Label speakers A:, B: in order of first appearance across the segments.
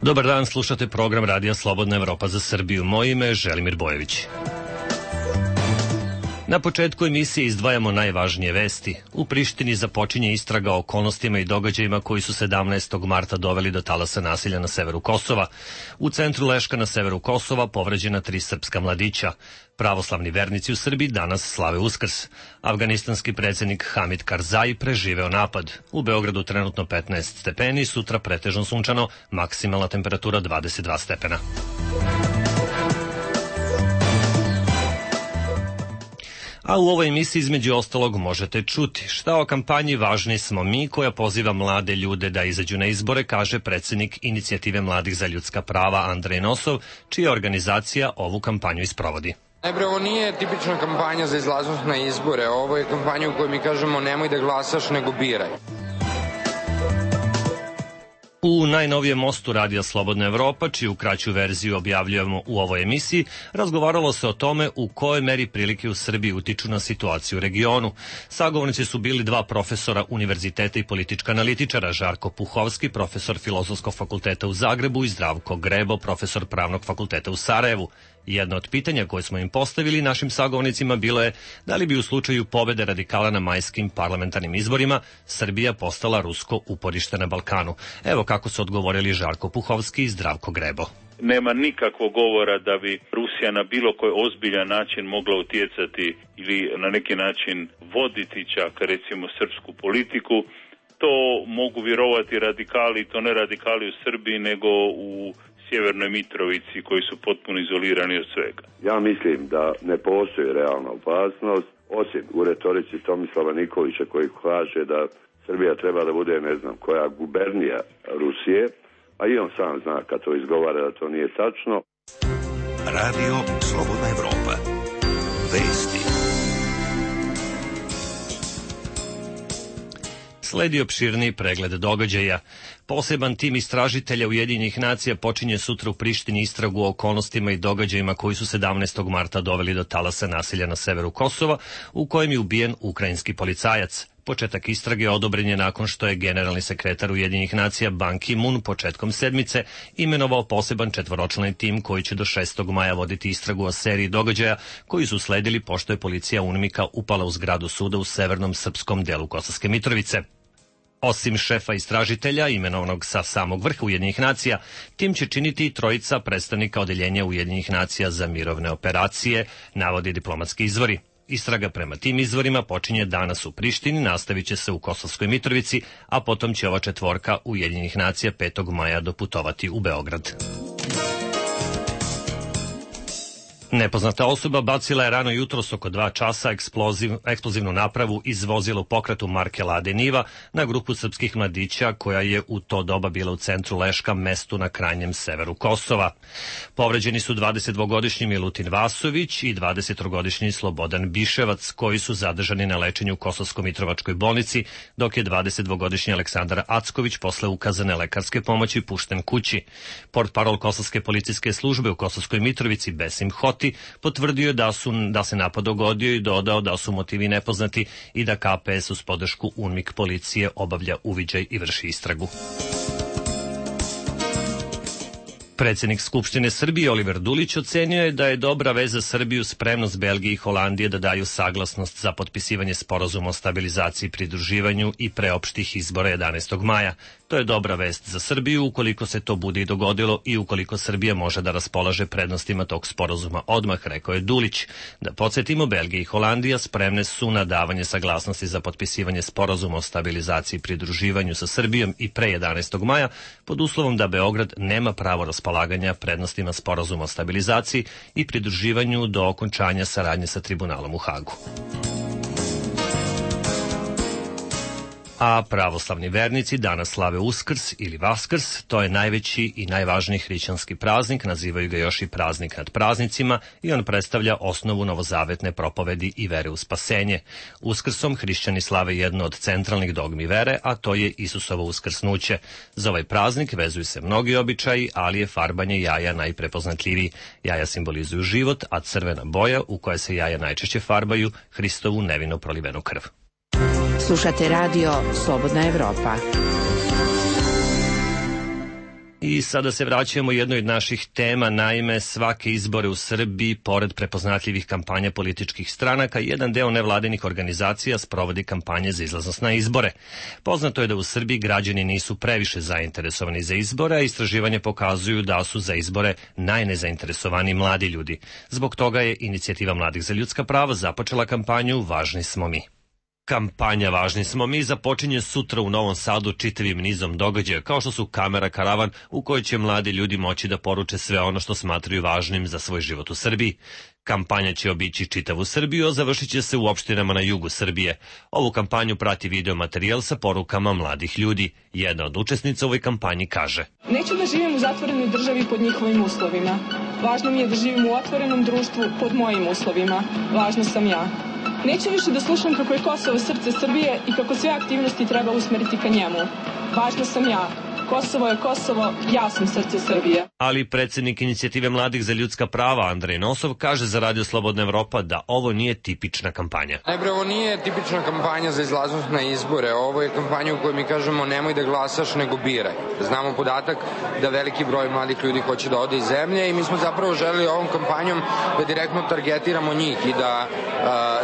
A: Dobar dan, slušate program Radija Slobodna Evropa za Srbiju. Moje ime je Želimir Bojević. Na početku emisije izdvajamo najvažnije vesti. U Prištini započinje istraga o okolnostima i događajima koji su 17. marta doveli do talasa nasilja na severu Kosova. U centru Leška na severu Kosova povređena 3 srpska mladića. Pravoslavni vernici u Srbiji danas slave Uskrs. Afganistanski predsjednik Hamid Karzai preživeo napad. U Beogradu trenutno 15 stepeni, sutra pretežno sunčano, maksimalna temperatura 22 stepena. A u ovoj emisiji između ostalog možete čuti šta o kampanji Važni smo mi, koja poziva mlade ljude da izađu na izbore, kaže predsjednik Inicijative mladih za ljudska prava Andrej Nosov, čija organizacija ovu kampanju isprovodi.
B: Najprej, ovo nije tipična kampanja za izlaznost na izbore, ovo je kampanja u kojoj mi kažemo nemoj da glasaš, nego biraj.
A: U najnovijem mostu Radija Slobodna Evropa, čiju kraću verziju objavljujemo u ovoj emisiji, razgovaralo se o tome u kojoj meri prilike u Srbiji utiču na situaciju u regionu. Sagovornici su bili 2 profesora univerziteta i politička analitičara, Žarko Puhovski, profesor Filozofskog fakulteta u Zagrebu, i Zdravko Grebo, profesor Pravnog fakulteta u Sarajevu. Jedno od pitanja koje smo im postavili našim sagovornicima bilo je da li bi u slučaju pobede radikala na majskim parlamentarnim izborima Srbija postala rusko uporište na Balkanu. Evo kako su odgovorili Žarko Puhovski i Zdravko Grebo.
C: Nema nikakvog govora da bi Rusija na bilo koji ozbiljan način mogla utjecati ili na neki način voditi čak recimo srpsku politiku. To mogu vjerovati radikali, to ne radikali u Srbiji nego u Sjevernoj Mitrovici koji su potpuno izolirani od svega.
D: Ja mislim da ne postoji realna opasnost, osim u retorici Tomislava Nikolića koji kaže da Srbija treba da bude ne znam koja gubernija Rusije, a i on sam zna kad to izgovara da to nije tačno.
E: Radio Slobodna Evropa. Vesti.
A: Sledi opširniji pregled događaja. Poseban tim istražitelja Ujedinjenih nacija počinje sutra u Prištini istragu o okolnostima i događajima koji su 17. marta doveli do talasa nasilja na severu Kosova, u kojem je ubijen ukrajinski policajac. Početak istrage odobren je nakon što je generalni sekretar Ujedinjenih nacija Ban Ki-moon početkom sedmice imenovao poseban 4-člani tim koji će do 6. maja voditi istragu o seriji događaja koji su sledili pošto je policija UNMIK-a upala u zgradu suda u severnom srpskom delu Kosovske Mitrovice. Osim šefa istražitelja, imenovanog sa samog vrha Ujedinjenih nacija, tim će činiti i 3 predstavnika odeljenja Ujedinjenih nacija za mirovne operacije, navodi diplomatski izvori. Istraga prema tim izvorima počinje danas u Prištini, nastavit će se u Kosovskoj Mitrovici, a potom će ova 4 Ujedinjenih nacija 5. maja doputovati u Beograd. Nepoznata osoba bacila je rano jutros oko 2 časa eksplozivnu napravu iz vozila u pokretu marke Lade Niva na grupu srpskih mladića koja je u to doba bila u centru Leška, mestu na krajnjem severu Kosova. Povređeni su 22-godišnji Milutin Vasović i 23-godišnji Slobodan Biševac, koji su zadržani na lečenju u Kosovsko-Mitrovačkoj bolnici, dok je 22-godišnji Aleksandar Acković posle ukazane lekarske pomoći pušten kući. Portparol Kosovske policijske službe u Kosovskoj Mitrovici Besim Hoti potvrdio da se napad dogodio i dodao da su motivi nepoznati i da KPS uz podršku UNMIK policije obavlja uviđaj i vrši istragu. Predsjednik Skupštine Srbije Oliver Dulić ocenio je da je dobra veza za Srbiju spremnost Belgije i Holandije da daju saglasnost za potpisivanje sporazuma o stabilizaciji i pridruživanju i pre opštih izbora 11. maja. To je dobra vest za Srbiju ukoliko se to bude i dogodilo i ukoliko Srbija može da raspolaže prednostima tog sporazuma odmah, rekao je Dulić. Da podsjetimo, Belgija i Holandija spremne su na davanje saglasnosti za potpisivanje sporazuma o stabilizaciji i pridruživanju sa Srbijom i pre 11. maja pod uslovom da Beograd nema pravo raspolaganja prednostima sporazuma o stabilizaciji i pridruživanju do okončanja saradnje sa tribunalom u Hagu. A pravoslavni vernici danas slave Uskrs ili Vaskrs, to je najveći i najvažniji hrišćanski praznik, nazivaju ga još i praznik nad praznicima i on predstavlja osnovu novozavetne propovedi i vere u spasenje. Uskrsom hrišćani slave jedno od centralnih dogmi vere, a to je Isusovo uskrsnuće. Za ovaj praznik vezuju se mnogi običaji, ali je farbanje jaja najprepoznatljiviji. Jaja simbolizuju život, a crvena boja u kojoj se jaja najčešće farbaju, Hristovu nevino prolivenu krv.
F: Slušate radio Slobodna Evropa.
A: I sada se vraćamo jednoj od naših tema, naime svake izbore u Srbiji, pored prepoznatljivih kampanja političkih stranaka, jedan deo nevladinih organizacija sprovodi kampanje za izlaznost na izbore. Poznato je da u Srbiji građani nisu previše zainteresovani za izbore, a istraživanje pokazuju da su za izbore najnezainteresovaniji mladi ljudi. Zbog toga je Inicijativa mladih za ljudska prava započela kampanju Važni smo mi. Kampanja Važni smo mi započinje sutra u Novom Sadu čitavim nizom događaja, kao što su kamera karavan u kojoj će mladi ljudi moći da poruče sve ono što smatraju važnim za svoj život u Srbiji. Kampanja će obići čitavu Srbiju, a završit će se u opštinama na jugu Srbije. Ovu kampanju prati video materijal sa porukama mladih ljudi. Jedna od učesnica u ovoj kampanji kaže:
F: Neću da živim u zatvorenoj državi pod njihovim uslovima. Važno mi je da živim u otvorenom društvu pod mojim uslovima. Važna sam ja. Neću više da slušam kako je Kosovo srce Srbije i kako sve aktivnosti treba usmeriti ka njemu. Važna sam ja. Kosovo je Kosovo, ja sam srce Srbije.
A: Ali predsjednik Inicijative mladih za ljudska prava Andrej Nosov kaže za Radio Slobodna Evropa da ovo nije tipična kampanja.
B: Najprej, ovo nije tipična kampanja za izlaznost na izbore. Ovo je kampanja u kojoj mi kažemo nemoj da glasaš, nego biraj. Znamo podatak da veliki broj mladih ljudi hoće da ode iz zemlje i mi smo zapravo želeli ovom kampanjom da direktno targetiramo njih i da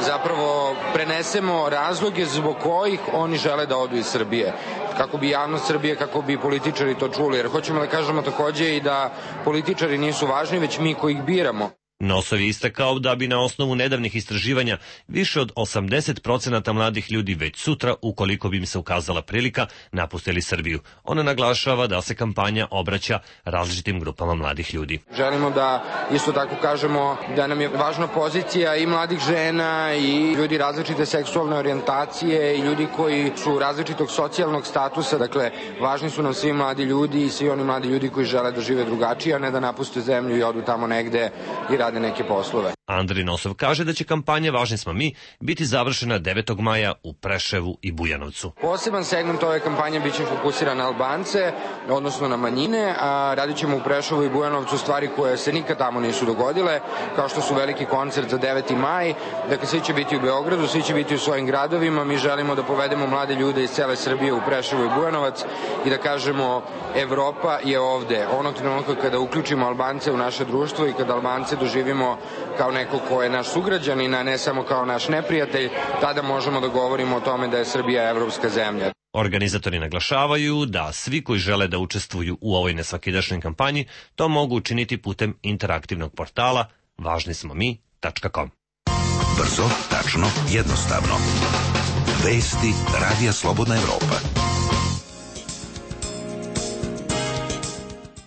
B: zapravo prenesemo razloge zbog kojih oni žele da odu iz Srbije. Kako bi javnost Srbije, kako bi političari to čuli, jer hoćemo da kažemo takođe i da političari nisu važni, već mi koji ih biramo.
A: Nosov je istakao da bi na osnovu nedavnih istraživanja više od 80% mladih ljudi već sutra, ukoliko bi im se ukazala prilika, napustili Srbiju. Ona naglašava da se kampanja obraća različitim grupama mladih ljudi.
B: Želimo da isto tako kažemo da nam je važna pozicija i mladih žena i ljudi različite seksualne orijentacije i ljudi koji su različitog socijalnog statusa. Dakle, važni su nam svi mladi ljudi i svi oni mladi ljudi koji žele da žive drugačije, a ne da napuste zemlju i odu tamo negde i rade neke poslove.
A: Andrej Nosov kaže da će kampanja Važni smo mi biti završena 9. maja u Preševu i Bujanovcu.
B: Poseban segment ove kampanje biće fokusiran na Albance, odnosno na manjine, a radit ćemo u Preševu i Bujanovcu stvari koje se nikad tamo nisu dogodile, kao što su veliki koncert za 9. maj, dakle svi će biti u Beogradu, svi će biti u svojim gradovima, mi želimo da povedemo mlade ljude iz cele Srbije u Preševu i Bujanovac i da kažemo Evropa je ovde. Onog trenutka kada uključimo Albance u naše društvo i kada Albance doživimo kao neko ko je naš sugrađanin, a ne samo kao naš neprijatelj, tada možemo da govorimo o tome da je Srbija evropska zemlja.
A: Organizatori naglašavaju da svi koji žele da učestvuju u ovoj nesvakidašnjoj kampanji to mogu učiniti putem interaktivnog portala važnismomi.com.
E: Brzo, tačno, jednostavno. Vesti Radija Slobodna Evropa.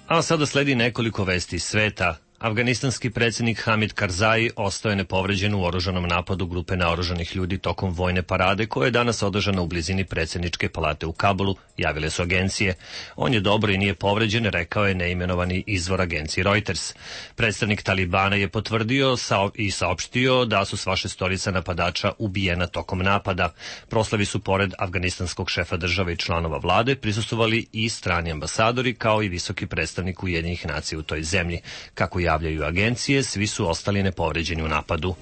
A: A sada sledi nekoliko vesti iz sveta. Afganistanski predsjednik Hamid Karzai ostao je nepovređen u oružanom napadu grupe naoružanih ljudi tokom vojne parade koja je danas održana u blizini predsjedničke palate u Kabulu, javile su agencije. On je dobro i nije povređen, rekao je neimenovani izvor agencije Reuters. Predstavnik Talibana je potvrdio i saopštio da su sva šestorica napadača ubijena tokom napada. Proslavi su pored afganistanskog šefa države i članova vlade prisustvovali i strani ambasadori kao i visoki predstavnik Ujedinjenih nacija u toj zemlji. Kako javljaju agencije, svi su ostali nepovređeni u napadu.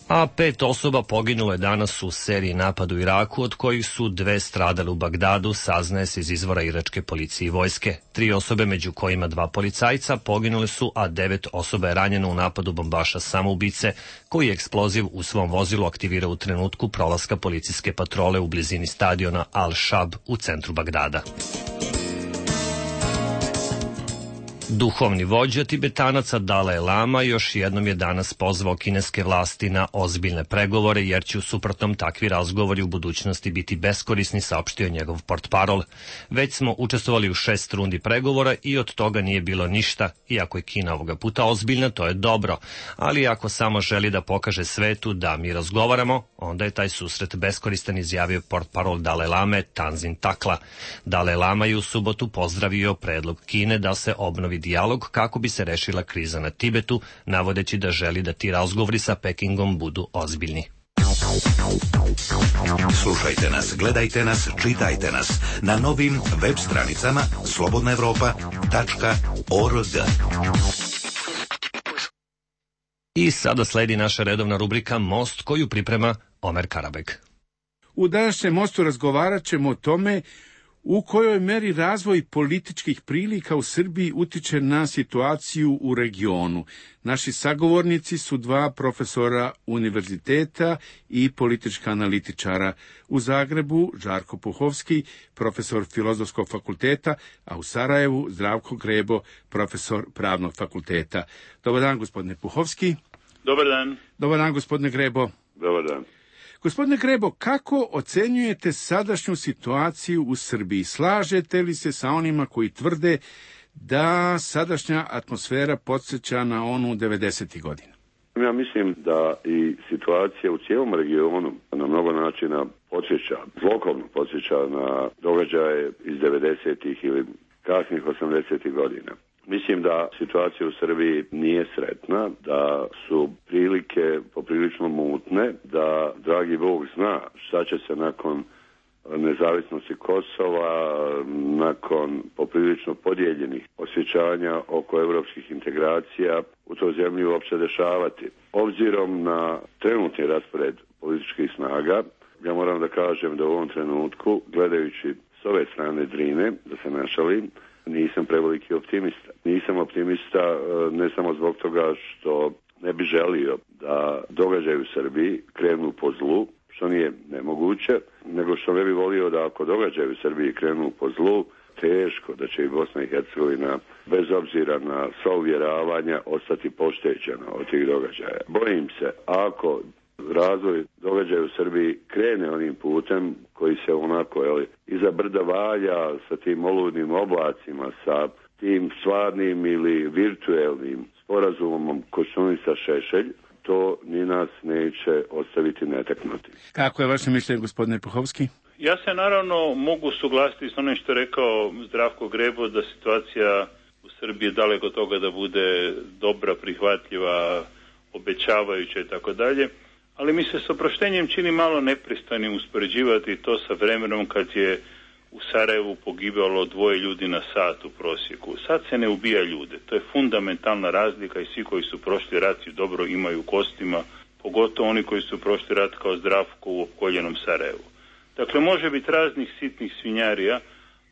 A: A 5 osoba poginulo je danas u seriji napada u Iraku, od kojih su 2 stradale u Bagdadu, saznaje se iz izvora iračke policije i vojske. 3 osobe, među kojima 2 policajca, poginule su, a 9 osoba je ranjeno u napadu bombaša samoubice, koji je eksploziv u svom vozilu aktivirao u trenutku prolaska policijske patrole u blizini stadiona Al-Shab u centru Bagdada. Duhovni vođa Tibetanaca Dalaj Lama još jednom je danas pozvao kineske vlasti na ozbiljne pregovore, jer će u suprotnom takvi razgovori u budućnosti biti beskorisni, saopštio njegov portparol. Već smo učestvovali u 6 rundi pregovora i od toga nije bilo ništa. Iako je Kina ovoga puta ozbiljna, to je dobro. Ali ako samo želi da pokaže svetu da mi razgovaramo, onda je taj susret beskoristan, izjavio portparol Dalaj Lame Tanzin Takla. Dalaj Lama je u subotu pozdravio predlog Kine da se obnovi dijalog kako bi se rešila kriza na Tibetu, navodeći da želi da ti razgovori sa Pekingom budu ozbiljni.
E: Slušajte nas, gledajte nas, čitajte nas na novim web stranicama slobodnaevropa.org.
A: I sada sledi naša redovna rubrika Most, koju priprema Omer Karabeg.
G: U današnjem Mostu razgovarat ćemo o tome U kojoj meri razvoj političkih prilika u Srbiji utiče na situaciju u regionu? Naši sagovornici su dva profesora univerziteta i politička analitičara. U Zagrebu Žarko Puhovski, profesor Filozofskog fakulteta, a u Sarajevu Zdravko Grebo, profesor Pravnog fakulteta. Dobar dan, gospodine Puhovski.
C: Dobar dan.
G: Dobar dan, gospodine Grebo.
D: Dobar dan.
G: Gospodine Grebo, kako ocenjujete sadašnju situaciju u Srbiji? Slažete li se sa onima koji tvrde da sadašnja atmosfera podsjeća na onu 90. godina?
D: Ja mislim da i situacija u cijelom regionu na mnogo načina podsjeća, zlokovno podsjeća na događaje iz 90. ili kasnih 80. godina. Mislim da situacija u Srbiji nije sretna, da su prilike poprilično mutne, da dragi Bog zna šta će se nakon nezavisnosti Kosova, nakon poprilično podijeljenih osjećanja oko europskih integracija u toj zemlji uopće dešavati. Obzirom na trenutni raspored političkih snaga, ja moram da kažem da u ovom trenutku, gledajući s ove strane Drine, da se ne šalim, nisam preveliki optimista. Nisam optimista ne samo zbog toga što ne bi želio da događaji u Srbiji krenu po zlu, što nije nemoguće, nego što ne bi volio da ako događaji u Srbiji krenu po zlu, teško da će i Bosna i Hercegovina, bez obzira na sva uvjeravanja, ostati poštećena od tih događaja. Bojim se, ako razvoj događaja u Srbiji krene onim putem koji se onako iza brda valja sa tim oludnim oblacima, sa tim stvarnim ili virtuelnim sporazumom Koštunica Šešelj, to ni nas neće ostaviti netaknuti.
G: Kako je vaše mišljenje, gospodine Puhovski?
C: Ja se naravno mogu suglasiti s onim što je rekao Zdravko Grebo, da situacija u Srbiji je daleko od toga da bude dobra, prihvatljiva, obećavajuća i tako dalje. Ali mi se s oproštenjem čini malo nepristojnim uspoređivati to sa vremenom kad je u Sarajevu pogibalo 2 ljudi na sat u prosjeku. Sad se ne ubija ljude. To je fundamentalna razlika i svi koji su prošli rat i dobro imaju u kostima, pogotovo oni koji su prošli rat kao Zdravko u opkoljenom Sarajevu. Dakle, može biti raznih sitnih svinjarija,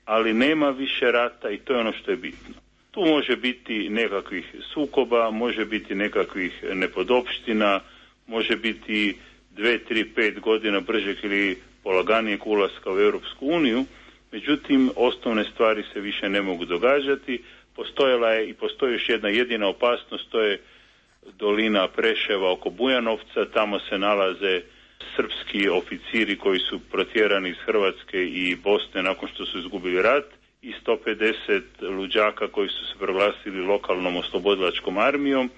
C: ali nema više rata i to je ono što je bitno. Tu može biti nekakvih sukoba, može biti nekakvih nepodopština, može biti 2, 3, 5 godina bržeg ili polaganijeg ulaska u Europsku uniju, međutim, osnovne stvari se više ne mogu događati. Postojala je i postoji još jedna jedina opasnost, to je dolina Preševa oko Bujanovca, tamo se nalaze srpski oficiri koji su protjerani iz Hrvatske i Bosne nakon što su izgubili rat i 150 luđaka koji su se proglasili lokalnom oslobodilačkom armijom.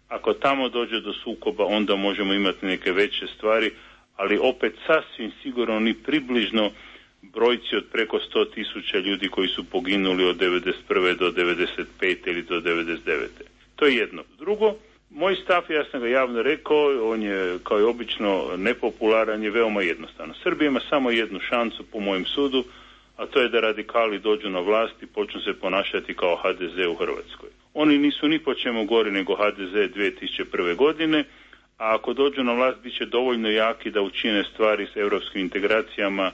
C: Ako tamo dođe do sukoba, onda možemo imati neke veće stvari, ali opet sasvim sigurno ni približno brojci od preko 100.000 ljudi koji su poginuli od 91. do 95. ili do 99. To je jedno. Drugo, moj stav, ja sam ga javno rekao, on je kao i obično nepopularan, je veoma jednostavno. Srbija ima samo jednu šansu po mojem sudu, a to je da radikali dođu na vlast i počnu se ponašati kao HDZ u Hrvatskoj. Oni nisu ni po čemu gori nego HDZ 2001. godine, a ako dođu na vlast bit će dovoljno jaki da učine stvari s europskim integracijama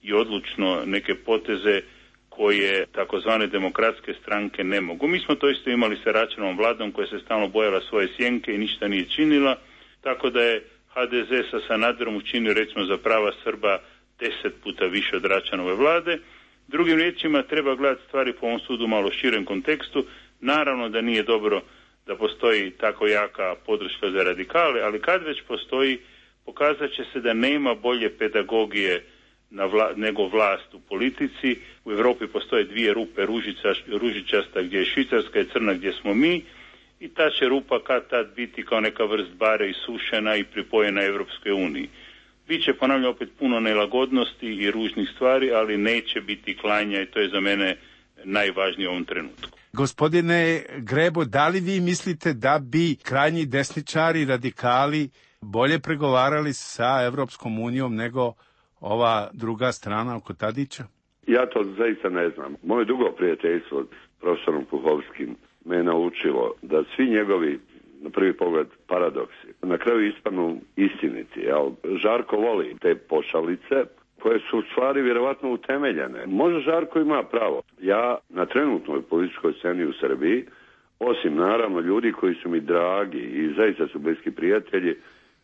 C: i odlučno neke poteze koje takozvane demokratske stranke ne mogu. Mi smo to isto imali sa Račanovom vladom koja se stalno bojala svoje sjenke i ništa nije činila, tako da je HDZ sa Sanaderom učinio recimo za prava Srba 10 puta više od Račanove vlade. Drugim riječima treba gledati stvari po ovom sudu malo širem kontekstu. Naravno da nije dobro da postoji tako jaka podrška za radikale, ali kad već postoji, pokazat će se da nema bolje pedagogije nego vlast u politici. U Europi postoje 2 rupe, ružičasta gdje je Švicarska i crna gdje smo mi, i ta će rupa kad tad biti kao neka vrst bare isušena i pripojena Europskoj uniji. Biće, ponavljam, opet puno nelagodnosti i ružnih stvari, ali neće biti klanja i to je za mene najvažnije u ovom trenutku.
G: Gospodine Grebo, da li vi mislite da bi krajnji desničari, radikali bolje pregovarali sa Evropskom unijom nego ova druga strana oko Tadića?
D: Ja to zaista ne znam. Moje dugo prijateljstvo s profesorom Puhovskim me je naučilo da svi njegovi, na prvi pogled, paradoksi na kraju ispadnu istiniti. Žarko voli te pošalice, koje su u stvari vjerovatno utemeljene. Možda Žarko ima pravo. Ja na trenutnoj političkoj sceni u Srbiji, osim naravno ljudi koji su mi dragi i zaista su bliski prijatelji,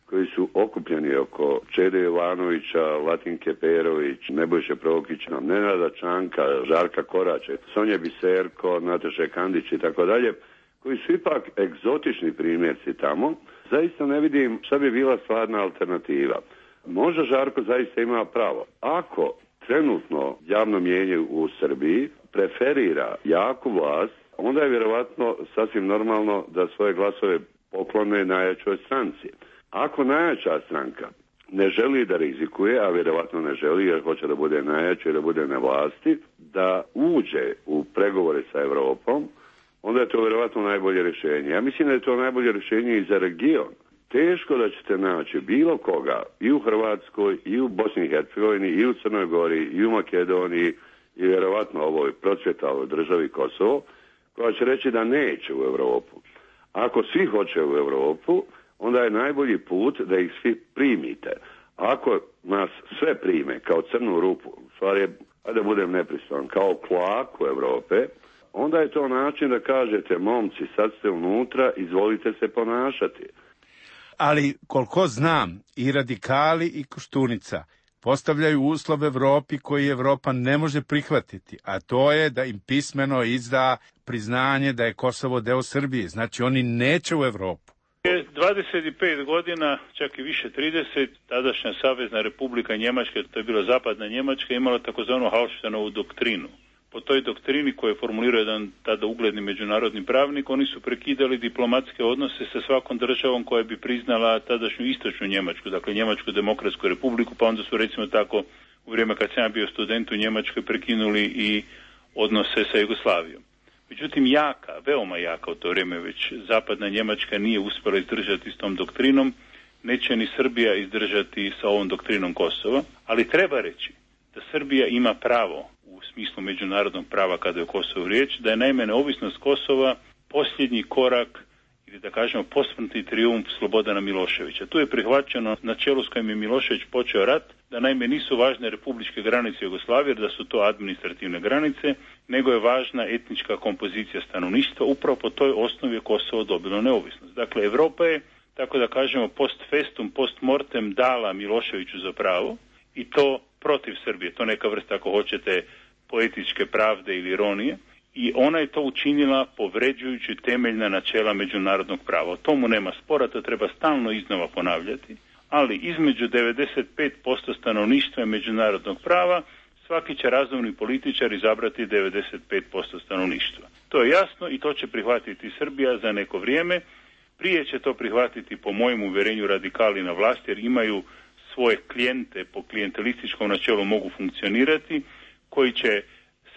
D: koji su okupljeni oko Čede Jovanovića, Latinke Perović, Nebojše Prokića, Nenada Čanka, Žarka Korače, Sonje Biserko, Nataše Kandić i tako dalje, koji su ipak egzotični primjerci tamo, zaista ne vidim šta bi bila stvarna alternativa. Možda Žarko zaista ima pravo. Ako trenutno javno mnijenje u Srbiji preferira jaku vlast, onda je vjerovatno sasvim normalno da svoje glasove poklone najjačoj stranci. Ako najjača stranka ne želi da rizikuje, a vjerovatno ne želi jer hoće da bude najjača i da bude na vlasti, da uđe u pregovore sa Europom, onda je to vjerovatno najbolje rješenje. Ja mislim da je to najbolje rješenje i za region. Teško da ćete naći bilo koga i u Hrvatskoj, i u Bosni i Hercegovini, i u Crnoj Gori, i u Makedoniji, i vjerovatno ovoj procvjetaloj državi Kosovo, koja će reći da neće u Europu. Ako svi hoće u Europu, onda je najbolji put da ih svi primite. Ako nas sve prime kao crnu rupu, u stvari, da budem nepristojan, kao kloaku Europe, onda je to način da kažete, momci, sad ste unutra, izvolite se ponašati.
G: Ali, koliko znam, i radikali i Koštunica postavljaju uslov Evropi koji Evropa ne može prihvatiti, a to je da im pismeno izda priznanje da je Kosovo deo Srbije. Znači, oni neće u Evropu.
C: 25 godina, čak i više 30, tadašnja Savezna Republika Njemačka, to je bila zapadna Njemačka, imala takozvanu Hauštvanovu doktrinu. Po toj doktrini koju je formulirao jedan tada ugledni međunarodni pravnik, oni su prekidali diplomatske odnose sa svakom državom koja bi priznala tadašnju istočnu Njemačku, dakle Njemačku demokratsku republiku, pa onda su recimo tako u vrijeme kad sam ja bio student u Njemačkoj prekinuli i odnose sa Jugoslavijom. Međutim, veoma jaka u to vrijeme već zapadna Njemačka nije uspjela izdržati s tom doktrinom, neće ni Srbija izdržati sa ovom doktrinom Kosova, ali treba reći da Srbija ima pravo u smislu međunarodnog prava kada je o Kosovu riječ, da je naime neovisnost Kosova posljednji korak ili da kažemo posmrtni trijumf Slobodana Miloševića. Tu je prihvaćeno načelo s kojim je Milošević počeo rat, da naime nisu važne republičke granice Jugoslavije, jer da su to administrativne granice, nego je važna etnička kompozicija stanovništva. Upravo po toj osnovi je Kosovo dobilo neovisnost. Dakle, Europa je, tako da kažemo, post festum, post mortem dala Miloševiću za pravo i to protiv Srbije. To neka vrsta, ako hoćete, poetičke pravde ili ironije. I ona je to učinila povređujući temeljna načela međunarodnog prava. O tomu nema spora, to treba stalno iznova ponavljati, ali između 95% stanovništva i međunarodnog prava svaki će razumni političar izabrati 95% stanovništva. To je jasno i to će prihvatiti Srbija za neko vrijeme. Prije će to prihvatiti, po mojem uvjerenju, radikali na vlasti, jer imaju svoje klijente, po klijentelističkom načelu mogu funkcionirati, koji će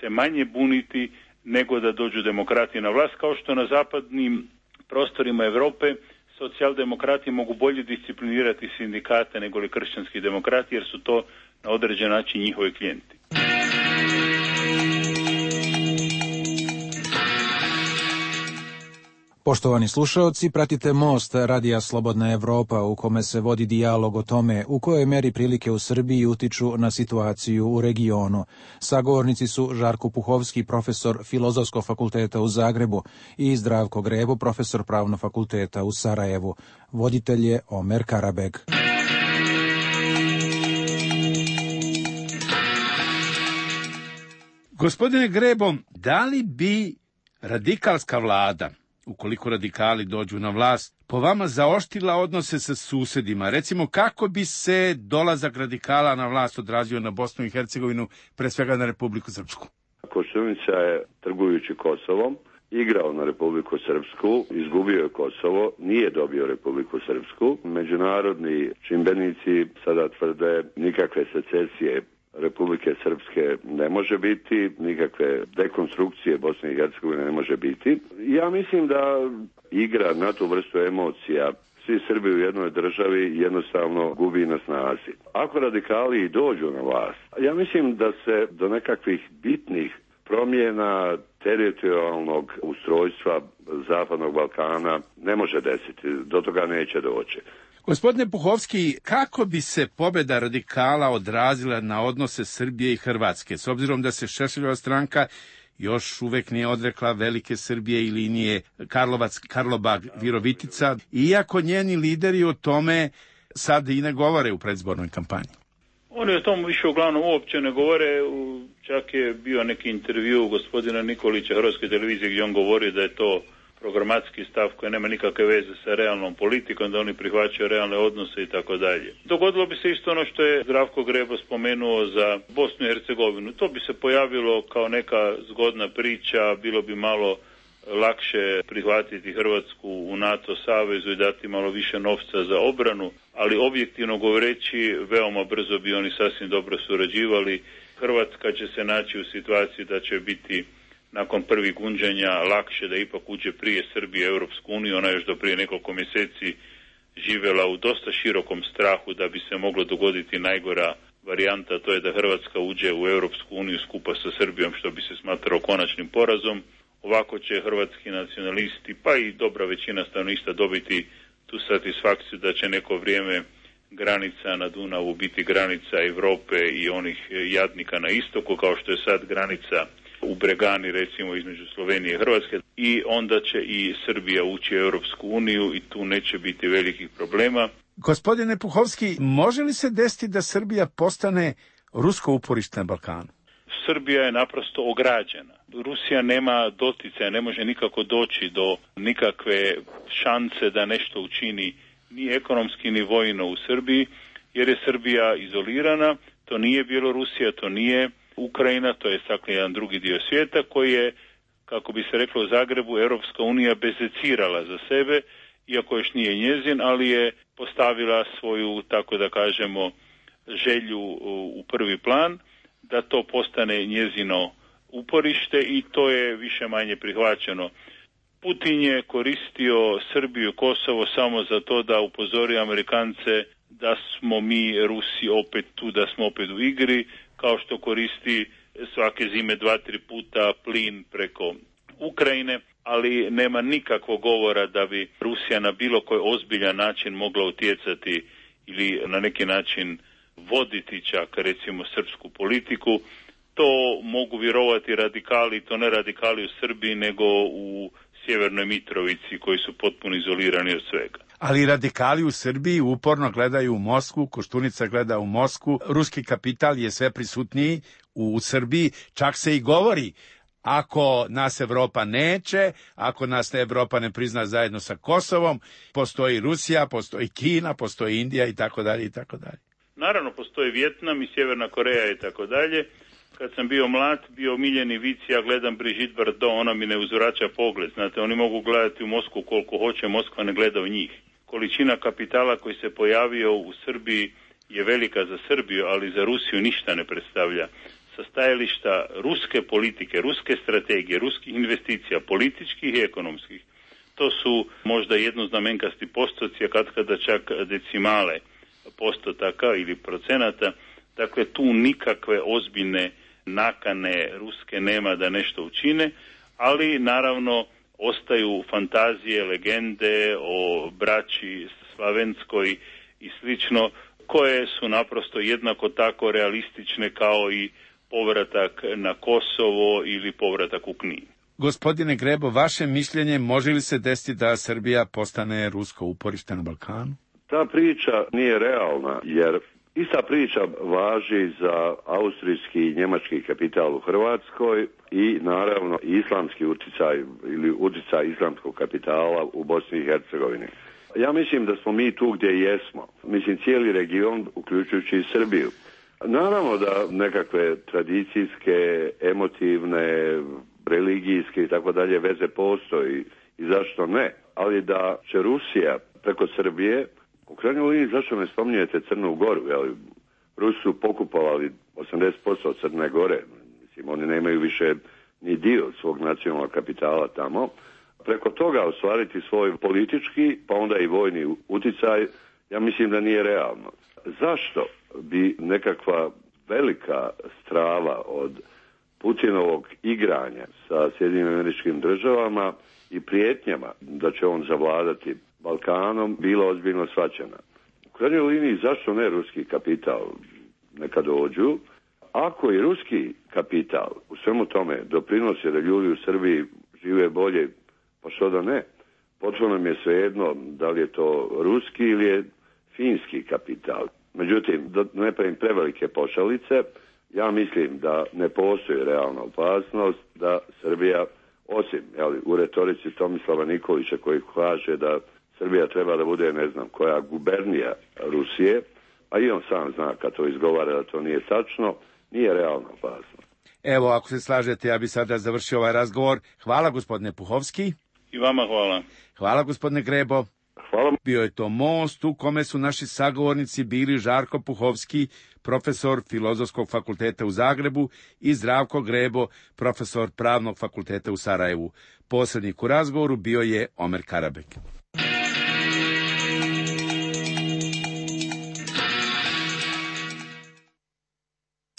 C: se manje buniti nego da dođu demokrati na vlast, kao što na zapadnim prostorima Europe socijaldemokrati mogu bolje disciplinirati sindikate nego li kršćanski demokrati, jer su to na određen način njihovi klijenti.
H: Poštovani slušaoci, pratite Most Radija Slobodna Evropa u kome se vodi dijalog o tome u kojoj meri prilike u Srbiji utiču na situaciju u regionu. Sagovornici su Žarko Puhovski, profesor Filozofskog fakulteta u Zagrebu, i Zdravko Grebo, profesor Pravnog fakulteta u Sarajevu. Voditelj je Omer Karabeg.
G: Gospodine Grebo, da li bi radikalska vlada, ukoliko radikali dođu na vlast, po vama zaoštila odnose sa susedima? Recimo, kako bi se dolazak radikala na vlast odrazio na Bosnu i Hercegovinu, pre svega na Republiku Srpsku?
D: Koštunica je, trgujući Kosovom, igrao na Republiku Srpsku, izgubio je Kosovo, nije dobio Republiku Srpsku. Međunarodni čimbenici sada tvrde nikakve secesije Republike Srpske ne može biti, nikakve dekonstrukcije Bosne i Hercegovine ne može biti. Ja mislim da igra na tu vrstu emocija, svi Srbi u jednoj državi, jednostavno gubi na snazi. Ako radikali i dođu na vlast, ja mislim da se do nekakvih bitnih promjena teritorijalnog ustrojstva Zapadnog Balkana ne može desiti, do toga neće doći.
G: Gospodine Puhovski, kako bi se pobjeda radikala odrazila na odnose Srbije i Hrvatske, s obzirom da se Šešeljova stranka još uvek nije odrekla velike Srbije i linije Karlovac, Karlobag, Virovitica, iako njeni lideri o tome sad i ne govore u predzbornoj kampanji?
C: Oni o tom više uglavnom uopće ne govore, čak je bio neki intervju gospodina Nikolića Hrvatske televizije gdje on govori da je to programatski stav koji nema nikakve veze sa realnom politikom, da oni prihvaćaju realne odnose i tako dalje. Dogodilo bi se isto ono što je Zdravko Grebo spomenuo za Bosnu i Hercegovinu. To bi se pojavilo kao neka zgodna priča, bilo bi malo lakše prihvatiti Hrvatsku u NATO savezu i dati malo više novca za obranu, ali objektivno govoreći veoma brzo bi oni sasvim dobro surađivali. Hrvatska će se naći u situaciji da će biti nakon prvih gunđanja lakše da ipak uđe prije Srbije u Europsku uniju. Ona još do prije nekoliko mjeseci živjela u dosta širokom strahu da bi se moglo dogoditi najgora varijanta, to je da Hrvatska uđe u Europsku uniju skupa sa Srbijom, što bi se smatrao konačnim porazom. Ovako će hrvatski nacionalisti, pa i dobra većina stanovništva dobiti tu satisfakciju da će neko vrijeme granica na Dunavu biti granica Europe i onih jadnika na istoku, kao što je sad granica u Bregani, recimo, između Slovenije i Hrvatske, i onda će i Srbija ući u Europsku uniju i tu neće biti velikih problema.
G: Gospodine Puhovski, može li se desiti da Srbija postane rusko uporište na Balkanu?
C: Srbija je naprosto ograđena. Rusija nema doticaja, ne može nikako doći do nikakve šanse da nešto učini ni ekonomski ni vojno u Srbiji, jer je Srbija izolirana, to nije Bjelorusija, to nije Ukrajina, to je dakle jedan drugi dio svijeta koji je, kako bi se reklo u Zagrebu, Europska unija bezecirala za sebe, iako još nije njezin, ali je postavila svoju, tako da kažemo, želju u prvi plan, da to postane njezino uporište i to je više manje prihvaćeno. Putin je koristio Srbiju, Kosovo samo za to da upozori Amerikance da smo mi Rusi opet tu, da smo opet u igri, kao što koristi svake zime 2-3 puta plin preko Ukrajine, ali nema nikakvog govora da bi Rusija na bilo koji ozbiljan način mogla utjecati ili na neki način voditi čak recimo srpsku politiku. To mogu vjerovati radikali, to ne radikali u Srbiji nego u Sjevernoj Mitrovici koji su potpuno izolirani od svega.
G: Ali radikali u Srbiji uporno gledaju u Moskvu, Koštunica gleda u Moskvu, ruski kapital je sve prisutniji u Srbiji, čak se i govori ako nas Evropa neće, ako nas Evropa ne prizna zajedno sa Kosovom, postoji Rusija, postoji Kina, postoji Indija i tako dalje i tako dalje.
C: Naravno, postoji Vjetnam i Sjeverna Koreja i tako dalje. Kad sam bio mlad, bio omiljeni vic, ja gledam Brigitte Bardot, ona mi ne uzvraća pogled. Znate, oni mogu gledati u Moskvu koliko hoće, Moskva ne gleda u njih. Količina kapitala koji se pojavio u Srbiji je velika za Srbiju, ali za Rusiju ništa ne predstavlja. Sa stajališta ruske politike, ruske strategije, ruskih investicija, političkih i ekonomskih, to su možda jednoznamenkasti postoci, a kada čak decimale postotaka ili procenata. Dakle, tu nikakve ozbiljne nakane ruske nema da nešto učine, ali naravno ostaju fantazije, legende o braći Slavenskoj i slično, koje su naprosto jednako tako realistične kao i povratak na Kosovo ili povratak u Knin.
G: Gospodine Grebo, vaše mišljenje, može li se desiti da Srbija postane rusko uporište na Balkanu?
D: Ta priča nije realna, jer ista priča važi za austrijski i njemački kapital u Hrvatskoj i naravno islamski utjecaj ili utjecaj islamskog kapitala u Bosni i Hercegovini. Ja mislim da smo mi tu gdje jesmo. Mislim cijeli region, uključujući i Srbiju. Naravno da nekakve tradicijske, emotivne, religijske i tako dalje veze postoji i zašto ne. Ali da će Rusija preko Srbije, u krajnjoj liniji zašto ne spominjete Crnu Goru, jel? Rusi su pokupovali 80% od Crne Gore, mislim oni nemaju više ni dio svog nacionalnog kapitala tamo. Preko toga ostvariti svoj politički, pa onda i vojni utjecaj, ja mislim da nije realno. Zašto bi nekakva velika strava od Putinovog igranja sa Sjedinjenim Američkim Državama i prijetnjama da će on zavladati Balkanom bila ozbiljno shvaćena? krajnjoj liniji zašto ne ruski kapital neka dođu? Ako i ruski kapital u svemu tome doprinosi da ljudi u Srbiji žive bolje, pa što da ne? Potpuno nam je svejedno da li je to ruski ili je finski kapital. Međutim, da ne pravim prevelike pošalice, ja mislim da ne postoji realna opasnost da Srbija, osim u retorici Tomislava Nikolića koji kaže da Srbija treba da bude, ne znam, koja gubernija Rusije, a i on sam zna kad to izgovara da to nije tačno, nije realna opasnost.
G: Evo, ako se slažete, ja bi sada završio ovaj razgovor. Hvala, gospodine Puhovski.
C: I vama hvala.
G: Hvala, gospodine Grebo.
D: Hvala.
G: Bio je to most u kome su naši sagovornici bili Žarko Puhovski, profesor Filozofskog fakulteta u Zagrebu, i Zdravko Grebo, profesor Pravnog fakulteta u Sarajevu. Posrednik u razgovoru bio je Omer Karabek.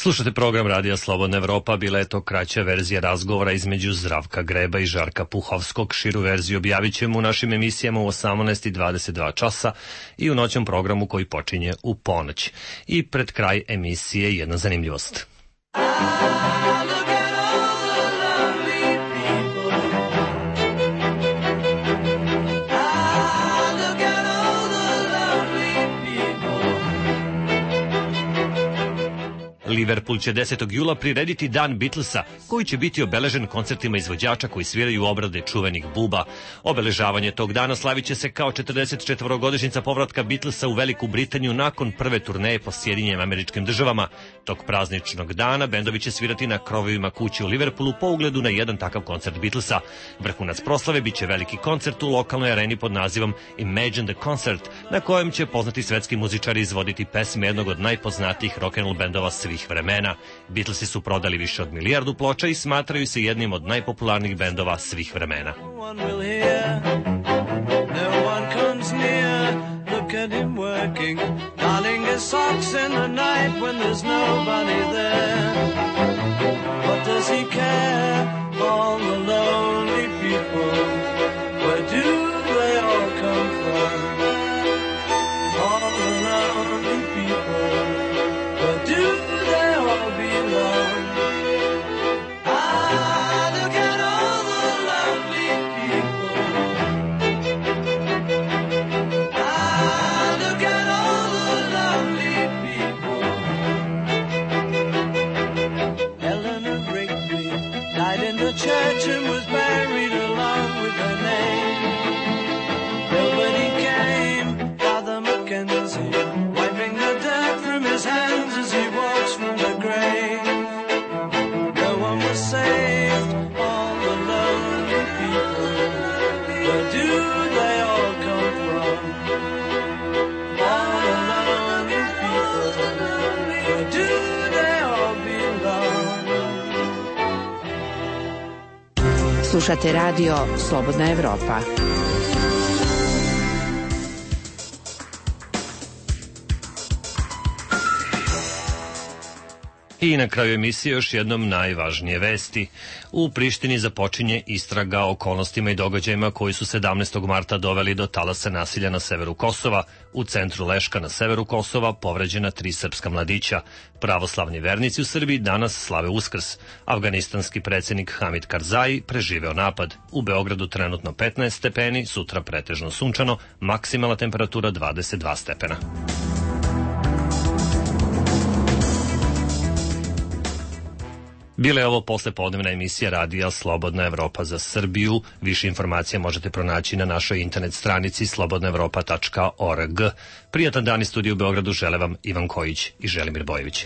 A: Slušate program Radija Slobodna Evropa, bila je to kraća verzija razgovora između Zdravka Greba i Žarka Puhovskog. Širu verziju objavit ćemo u našim emisijama u 18:22 časa i u noćnom programu koji počinje u ponoć. I pred kraj emisije jedna zanimljivost. Liverpool će 10. jula prirediti Dan Beatlesa, koji će biti obeležen koncertima izvođača koji sviraju obrade čuvenih buba. Obeležavanje tog dana slavit će se kao 44-godišnjica povratka Beatlesa u Veliku Britaniju nakon prve turneje po Sjedinjenim Američkim Državama. Tog prazničnog dana bendovi će svirati na krovovima kuće u Liverpoolu po ugledu na jedan takav koncert Beatlesa. Vrhunac proslave biće veliki koncert u lokalnoj areni pod nazivom Imagine the Concert, na kojem će poznati svetski muzičari izvoditi pesme jednog od najpoznatijih rock'n'roll bendova svih vremena. Beatlesi su prodali više od 1 milijardu ploča i smatraju se jednim od najpopularnijih bendova svih vremena.
I: Slušate radio Slobodna Evropa.
A: I na kraju emisije još jednom najvažnije vesti. U Prištini započinje istraga o okolnostima i događajima koji su 17. marta doveli do talasa nasilja na severu Kosova. U centru Leška na severu Kosova povređena 3 srpska mladića. Pravoslavni vernici u Srbiji danas slave Uskrs. Afganistanski predsjednik Hamid Karzai preživeo napad. U Beogradu trenutno 15 stepeni, sutra pretežno sunčano, maksimalna temperatura 22 stepena. Bila je ovo poslepodnevna emisija radija Slobodna Evropa za Srbiju. Više informacija možete pronaći na našoj internet stranici slobodnaevropa.org. Prijatan dan iz studija u Beogradu žele vam Ivan Kojić i Želimir Bojević.